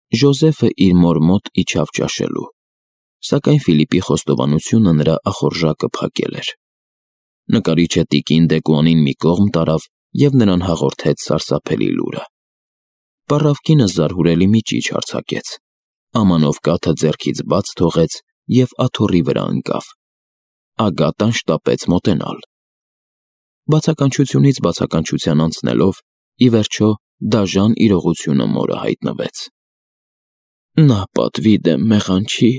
Ժոզեֆը իր մոր մոտ իջավ ճաշելու, սակայն Ֆիլիպի խոստովանությունը նրա ախորժակը փակել էր։ Նկարիչը տիկին Դեկուանին մի կողմ տարավ և նրան հաղորդեց սարսափելի լուրը։ Պառավկինը զարհուրելի մի ճիչ արձակեց, ամանով կաթը ձեռքից բաց թողեց և աթոռի վրա ընկավ։ Ագատան շտապեց մոտենալ։ Բացականչությունից բացականչության անցնելով, ի վերջո դաժան իրողությունը մորը հայտնվեց։ Նա պատվի դեմ մեղանչի,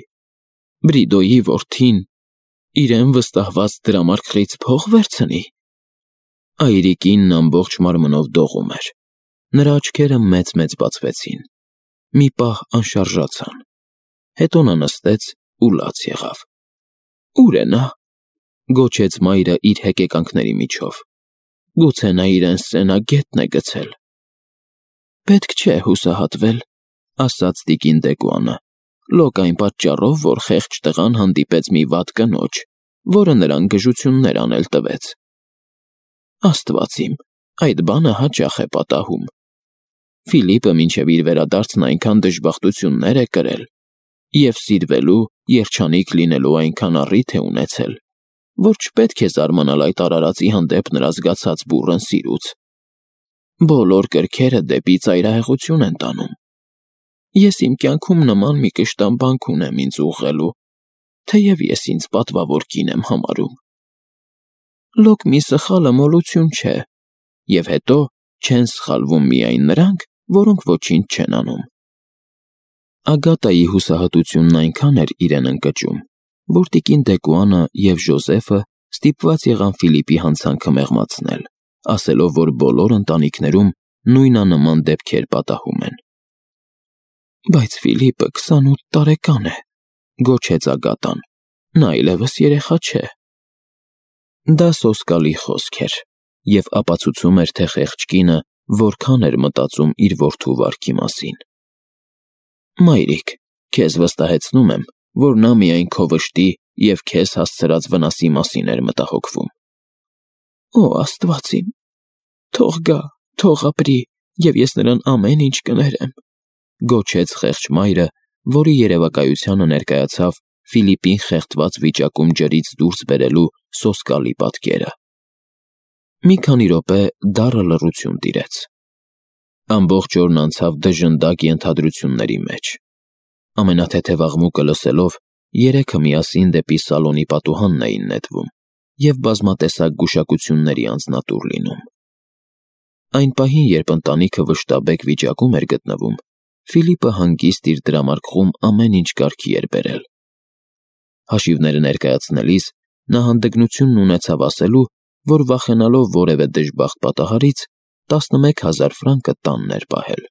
Բրիդոյի որդին, իրեն վստահված դրամարկղից փող վերցնի։ Այրիկինն ամբողջ մարմնով դողում էր։ Նրա աչքերը մեծ-մեծ բացվեցին։ Մի պահ անշարժացան։ Հետո նա նստեց ու լաց եղավ։ Ուր է նա, գոչեց մայրը իր հեկեկանքների միջով։ Գուցե նա իրեն սենագետն է գցել։ Պետք չէ հուսահատվել, ասաց տիկին Դեկուանը, լոկ այն պատճառով, որ խեղճ տղան հանդիպեց մի վատ կնոջ, որը նրան գժություններ անել տվեց։ Աստված իմ, այդ բանը հաճախ է պատահում։ Ֆիլիպը մինչև իր վերադարձն այնքան դժբախտություններ է կրել և սիրվելու, երջանիկ լինելու այնքան առիթ է ունեցել, որ չպետք է զարմանալ այդ արարածի հանդեպ նրա զգացած բուռն սիրուց։ Բոլոր կրքերը դեպի ծայրահեղություն են տանում։ Ես իմ կյանքում նման մի կշտամբանք ունեմ ինձ ուղղելու, թեև ես ինձ պատվավոր կին եմ համարում։ Լոկ մի սխալը մոլություն չէ, և հետո չեն սխալվում միայն նրանք, որոնք ոչինչ չեն անում։ Ագատայի հուսահատությունն այնքան էր իրեն ընկճում, որ տիկին Դեկուանը և Ժոզեֆը ստիպված եղան Ֆիլիպի հանցանքը մեղմացնել, ասելով, որ բոլոր ընտանիքներում նույնանման դեպքեր պատահում են։ Բայց Ֆիլիպը 28 տարեկան է, գոչեց Ագատան, նա այլևս երեխա չէ։ Դա սոսկալի խոսք էր և ապացուցում էր, թե խեղճ կինը որքան էր մտածում իր որդու վարքի մասին։ Մայրիկ, քեզ վստահեցնում եմ, որ նա միայն քո վշտի և քեզ հասցրած վնասի մասին էր մտահոգվում։ Օ, Աստված իմ, թող գա, թող ապրի, և ես նրան ամեն ինչ կներեմ, գոչեց խեղճ մայրը, որի երևակայությանը ներկայացավ Ֆիլիպին խեղդված վիճակում ջրից դուրս բերելու սոսկալի պատկերը։ Մի քանի րոպե դառը լռություն տիրեց։ Ամբողջ օրն անցավ դժնդակ ենթադրությունների մեջ։ Ամենաթեթև աղմուկը լսելով, երեքը միասին դեպի սալոնի պատուհանն էին նետվում և բազմատեսակ գուշակությունների անձնատուր լինում։ Այն պահին, երբ ընտանիքը վշտաբեկ վիճակում էր գտնվում, Ֆիլիպը հանգիստ իր դրամարկղում ամեն ինչ կարգի էր բերել։ Հաշիվները ներկայացնելիս նա հանդգնությունն ունեցավ ասելու, որ վախենալով որևէ դժբախտ պատահարից 11,000 ֆրանկը տանն էր պահել։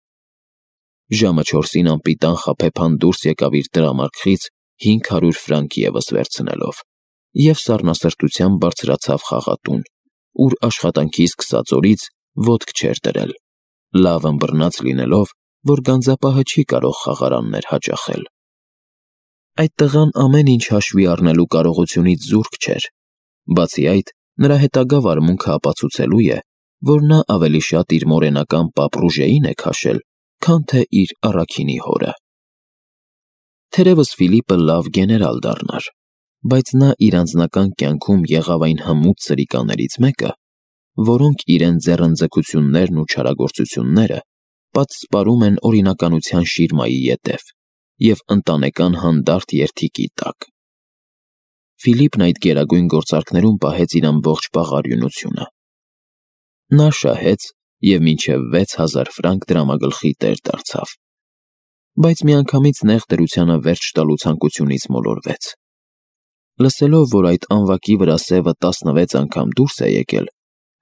Ժամը 4-ին անպիտան խաբեբան դուրս եկավ իր դրամարկղից 500 ֆրանկ ևս վերցնելով և սառնասրտությամբ բարձրացավ խաղատուն, ուր աշխատանքի սկսած օրից ոտք չէր դրել, լավ ըմբռնած լինելով, որ գանձապահը չի կարող խաղարաններ հաճախել։ Այդ տղան ամեն ինչ հաշվի առնելու կարողությունից զուրկ չէր, բացի այդ, նրա հետագա վարմունքը ապացուցելու է, որ նա ավելի շատ իր մորենական պապ Ռուժեին է քաշել, քան թե իր առաքինի հորը։ Թերևս Ֆիլիպը լավ գեներալ դառնար, բայց նա իր անձնական կյանքում եղավ այն հմուտ սրիկաներից մեկը, որոնք իրեն ձեռնձգություններն ու չարագործությունները պատսպարում են օրինականության շիրմայի ետև և ընտանեկան հանդարտ երդիկի տակ։ Ֆիլիպն այդ գերագույն գործարքներում պահեց իր ամբողջ պաղարյունությունը։ Նա շահեց և մինչև 6,000 ֆրանկ դրամագլխի տեր դարձավ, բայց միանգամից նեղ դրությանը վերջ տալու ցանկությունից մոլորվեց։ Լսելով, որ այդ անվակի վրա սևը 16 անգամ դուրս է եկել,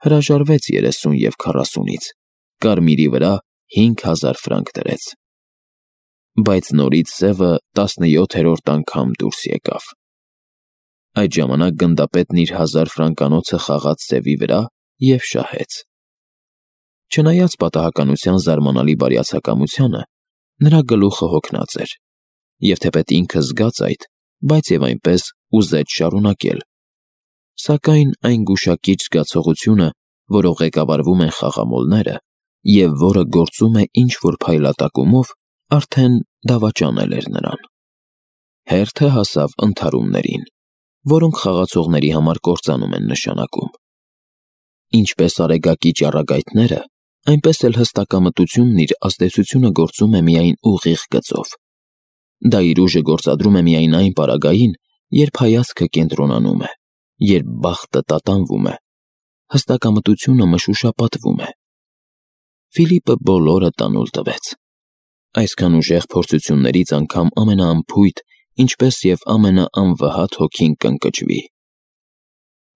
հրաժարվեց 30 և 40-ից, կարմիրի վրա 5,000 ֆրանկ դրեց։ Բայց նորից սևը 17-րդ անգամ դուրս եկավ։ Այդ ժամանակ գնդապետն իր 1000 ֆրանկանոցը խաղաց սևի վրա և շահեց։ Չնայած պատահականության զարմանալի բարյացակամությանը, նրա գլուխը հոգնած էր, և թեպետ ինքը զգաց այդ, բայց և այնպես ուզեց շարունակել։ Սակայն այն գուշակիչ զգացողությունը, որով ղեկավարվում են խաղամոլները, և որը գործում է ինչ-որ փայլատակումով, Արդեն դավաճանել էր նրան։ Հերթը հասավ ընդհարումներին, որոնք խաղացողների համար կործանում են նշանակում։ Ինչպես արեգակի ճառագայթները, այնպես էլ հստակամտությունն իր ազդեցությունը գործում է միայն ուղիղ գծով։ Դա իր ուժը գործադրում է միայն այն պարագային, երբ հայացքը կենտրոնանում է, երբ բախտը տատանվում է, հստակամտությունը մշուշապատվում է։ Ֆիլիպը բոլորը տանուլ տվեց։ Այսքան ուժեղ փորձություններից անգամ ամենաանփույթ, ինչպես և ամենաանվհատ հոգին կընկճվի։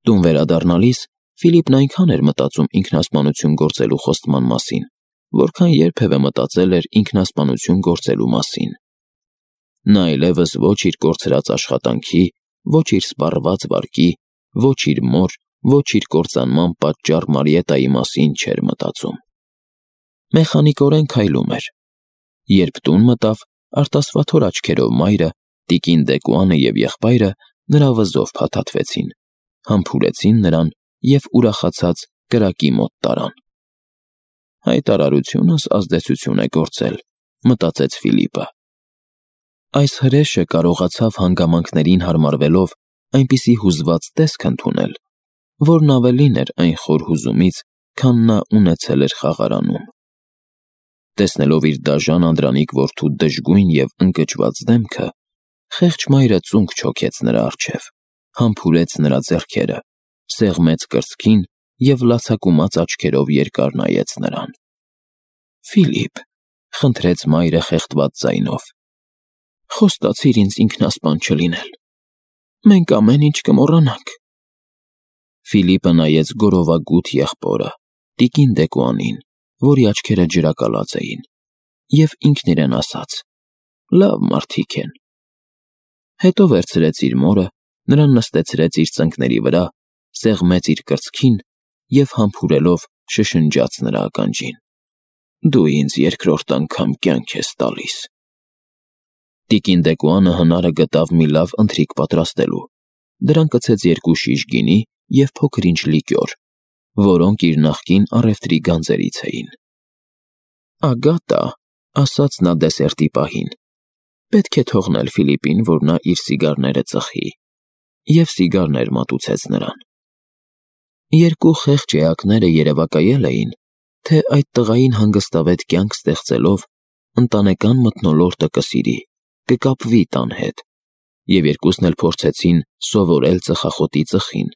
Տուն վերադառնալիս Ֆիլիպն այնքան էր մտածում ինքնասպանություն գործելու խոստման մասին, որքան երբևէ մտածել էր ինքնասպանություն գործելու մասին։ Նա այլևս ոչ իր կորցրած աշխատանքի, ոչ իր սպառված վարկի, ոչ իր մոր, ոչ իր կործանման պատճառ Մարիետայի մասին չէր մտածում։ Մեխանիկորեն քայլում էր։ Երբ տուն մտավ, արտասվաթոր աչքերով մայրը, տիկին Դեկուանը և եղբայրը նրա վզով փաթաթվեցին, համբուրեցին նրան և ուրախացած կրակի մոտ տարան։ Հայտարարությունս ազդեցություն է գործել, մտածեց Ֆիլիպը։ Այս հրեշը կարողացավ հանգամանքներին հարմարվելով այնպիսի հուզված տեսք ընդունել, որն ավելին էր այն խոր հուզումից, քան նա ունեցել էր խաղարանում։ Տեսնելով իր դաժան անդրանիկ որդու դժգույն և ընկճված դեմքը, խեղճ մայրը ծունկ չոքեց նրա առջև, համբուրեց նրա ձեռքերը, սեղմեց կրծքին և լացակումած աչքերով երկար նայեց նրան։ «Ֆիլիպ», խնդրեց մայրը խեղդված ձայնով, «խոստացիր ինձ ինքնասպան չլինել։ Մենք ամեն ինչ կմոռանանք»։ Ֆիլիպը նայեց գորովագութ եղբորը, տիկին Դեկուանին, որի աչքերը ջրակալած էին, և ինքն իրեն ասաց. «Լավ մարդիկ են»։ Հետո վերցրեց իր մորը, նրան նստեցրեց իր ծնկների վրա, սեղմեց իր կրծքին և համբուրելով շշնջաց նրա ականջին. «Դու ինձ երկրորդ անգամ կյանք ես տալիս»։ Տիկին Դեկուանը հնարը գտավ մի լավ ընթրիք պատրաստելու, դրան կցեց 2 շիշ գինի և փոքր ինչ լիկյոր, որոնք իր նախկին առևտրի գանձերից էին։ «Ագատա», ասաց նա դեսերտի պահին, «պետք է թողնել Ֆիլիպին, որ նա իր սիգարները ծխի», և սիգարներ մատուցեց նրան։ 2 խեղճ էակները երևակայել էին, թե այդ տղային հանգստավետ կյանք ստեղծելով ընտանեկան մթնոլորտը կսիրի, կկապվի տան հետ, և երկուսն էլ փորձեցին սովորել ծխախոտի ծխին,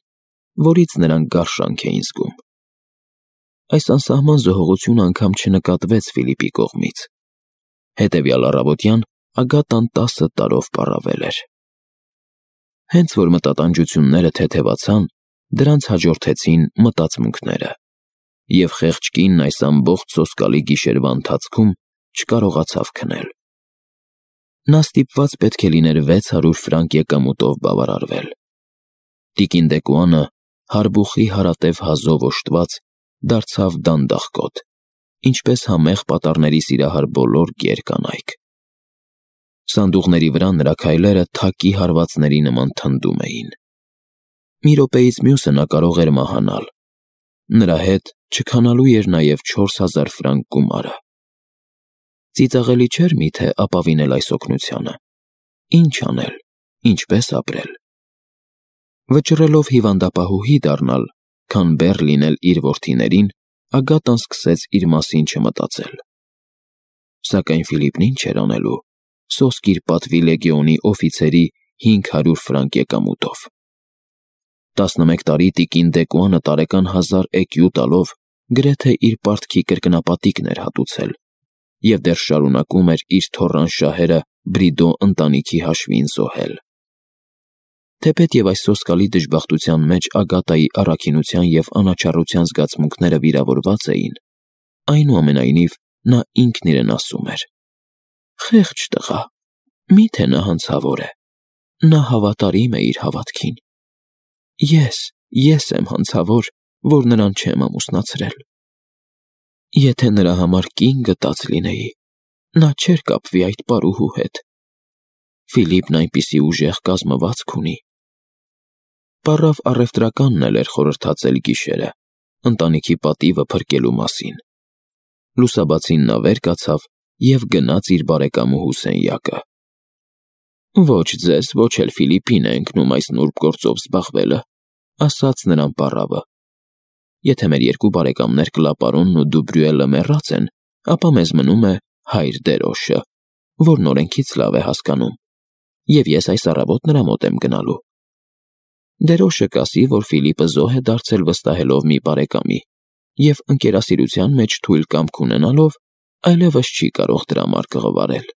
որից նրանք գարշանք էին զգում։ Այս անսահման զոհողությունը անգամ չնկատվեց Ֆիլիպի կողմից։ Հետևյալ առավոտյան Ագատան 10 տարով պառավել էր։ Հենց որ մտատանջությունները թեթևացան, դրանց հաջորդեցին մտածմունքները, և խեղճ կինն այս ամբողջ սոսկալի գիշերվա ընթացքում չկարողացավ քնել։ Նա ստիպված պետք է լիներ 600 ֆրանկ եկամուտով բավարարվել։ Տիկին Դեկուանը, հարբուխի հարատև հազով օժտված, դարձավ դանդաղկոտ, ինչպես համեղ պատառների սիրահար բոլոր գեր կանայք։ Սանդուղների վրա նրա քայլերը թակի հարվածների նման թնդում էին։ Մի րոպեից մյուսը նա կարող էր մահանալ։ Նրա հետ չքանալու էր նաև 4000 ֆրանկ գումարը։ Ծիծաղելի չէր միթե ապավինել այս օգնությանը։ Ինչ անել, ինչպես ապրել։ Վճռելով հիվանդապահուհի դառնալ, քան բեռ լինել իր որդիներին, Ագատան սկսեց իր մասին չմտածել։ Սակայն Ֆիլիպն ինչ էր անելու սոսկ իր պատվի լեգեոնի օֆիցերի 500 ֆրանկ եկամուտով։ 11 տարի տիկին Դեկուանը տարեկան 1000 էկյու տալով գրեթե իր պարտքի կրկնապատիկն էր հատուցել և դեռ շարունակում էր իր թոռան շահերը Բրիդո ընտանիքի հաշվին զոհել։ Թեպետ այս սոսկալի դժբախտության մեջ Ագատայի առաքինության և անաչառության զգացմունքները վիրավորված էին, այնուամենայնիվ նա ինքն իրեն ասում էր. «Խեղճ տղա, միթե նա հանցավոր է, նա հավատարիմ է իր հավատքին։ Ես եմ հանցավոր, որ նրան չեմ ամուսնացրել։ Եթե նրա համար կին գտած լինեի, նա չէր կապվի այդ պարուհու հետ։ Ֆիլիպն այնպիսի ուժեղ կազմվածք ունի»։ Պառավ առևտրականն էլ էր խորհրդածել գիշերը, ընտանիքի պատիվը փրկելու մասին։ Լուսաբացին նա վեր կացավ և գնաց իր բարեկամուհու սենյակը։ «Ոչ ձեզ, ոչ էլ Ֆիլիպին է ընկնում այս նուրբ գործով զբաղվելը», ասաց նրան պառավը։ «Եթե մեր երկու բարեկամներ Կլապարոնն ու Դուբրյուելը մեռած են, ապա մեզ մնում է հայր Դերոշը, որն օրենքից լավ է հասկանում, և ես այս առավոտ նրա մոտ եմ գնալու։ Դերոշը կասի, որ Ֆիլիպը զոհ է դարձել վստահելով մի բարեկամի, և ընկերասիրության մեջ թույլ կամք ունենալով այլևս չի կարող դրա մարկը ղվարել։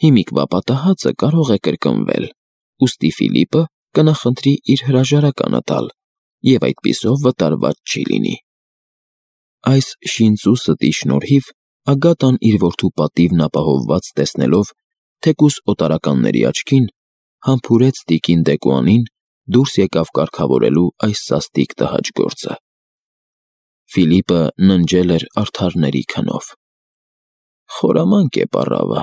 Հիմիկվա պատահածը կարող է կրկնվել, ուստի Ֆիլիպը կնախընտրի իր հրաժարականը տալ, և այդպիսով վտարված չի լինի»։ Այս շինծու ստի շնորհիվ Ագատան իր որդու պատիվն ապահովված տեսնելով, թեկուզ օտարականների աչքին, համբուրեց տիկին Դեկուանին դուրս եկավ կարգավորելու այս սաստիկ տհաճ գործը։ Ֆիլիպը ննջել էր արդարների քնով։ «Խորամանկ է պառավը»,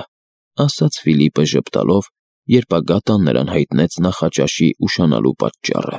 ասաց Ֆիլիպը ժպտալով, երբ Ագատան նրան հայտնեց նախաճաշի ուշանալու պատճառը։